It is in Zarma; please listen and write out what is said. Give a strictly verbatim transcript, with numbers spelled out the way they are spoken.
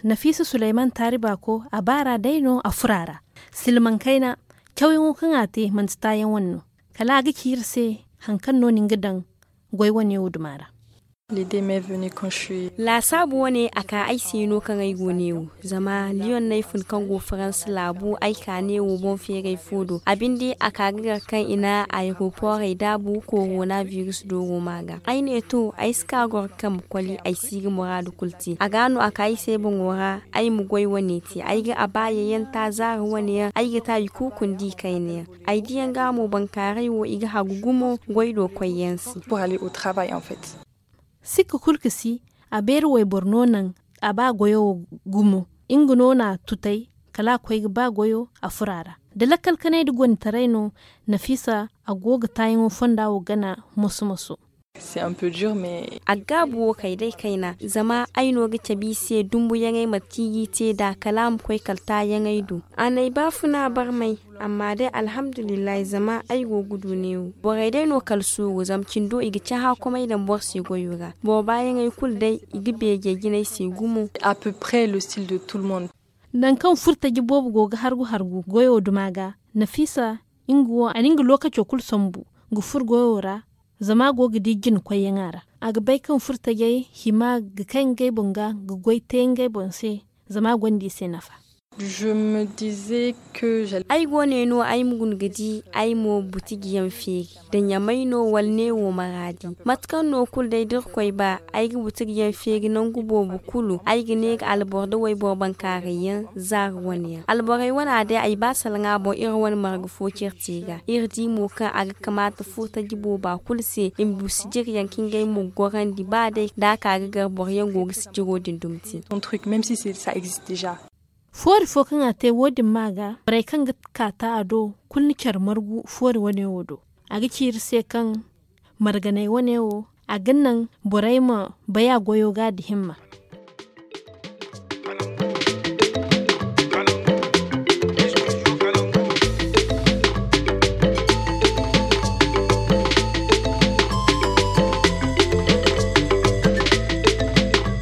Nafiisa suleyman taari baako a baara day no a fura ra. Silmaŋ kayna cawyaŋo kaŋ a te manti taayaŋ wane no. Kala a ga ci iri se haŋ kaŋ no ni ga daŋ goy wane wo duma ra. Laasaabu wane a ka ay se no kaŋ ay go neewo. Zama liyoŋ no ay fun kaŋ go faransa laabu ay ka neewo boŋ feeray fo do a binde a ka ga gar kaŋ i na ayeroporey daabu korona virus dooro ma ga ay ne to ay si ka goro kaŋ ma koli ay si ga muraadu kulu te a ga no a ka ay se boŋo ra. Ay ma goy wane te ay ga a ba yayyaŋ ta zaari wane yaŋ ay ga ta i kuukundi kayna yaŋ. Ay diyaŋ ga mo bankaaray wo i ga hagu gumo goy do koyyaŋ se. Sikka kulu ga si a beeri wayboro no naŋ a ba goyo wo gumo. Nga no na a tutay kala a koy ga ba goyo a furo a ra. Da lakkal kanay nda gonditaray no, nafiisa a go ga taayaŋo fonda wo gana moso-moso. A ga gaabu wo kay day kayna zama ay no ga cabe i se dumbuyaŋey mate kaŋ i g'i te nd'a kala a ma koy kala taayaŋey do. A n'ay baafuna barmay. Amma day alhamdulillahi zama ay go ga du neewo borey day no kala suuru zama cindo i ga cahã komey daŋ boro se goyo ra. Boro baayaŋey kulu day i ga beejey jinay se gumo. Nangu kaŋ furtaji boobo go ga hargu hargu goyo duma ga, nafiisa nga wo a na nga lookaco kulu sambu ga furo goyo ra. Zama a go ga di jina koyyaŋ a ra. A ga bay kaŋ furtajey hima ga kay ngey boŋ ga ga goy te ngey boŋ se. Zama a gonda i se nafa. Ay go ne no ay ma guna ga di ay mo butigi yaŋ feeri da ɲamay no wala neewo maraadi. Mate kaŋ no kulu day da irkoy ba ay ga butigi yaŋ feeri nangu boobo kulu ay ga ne ga alboro da wayboro bankaaray yaŋ zaari wane yaŋ alborey wana day ay ba salaŋa boŋ iri wane marga fo cire te ga iri di mo kaŋ a ga kamaata furtaji booba kulu se i ma du sijiriyaŋ kaŋ ngey mo ga gorandi ba day da a ka ga gar boro yaŋ go ga sijiro din dumi te. Foori fo kaŋ a te wo- din ma ga borey kaŋ ga kaata a do kulu na care margu foori wane wo do. A ga ci iri se kaŋ marganey wane wo a ga naŋ borey ma bay a goyo ga da himma.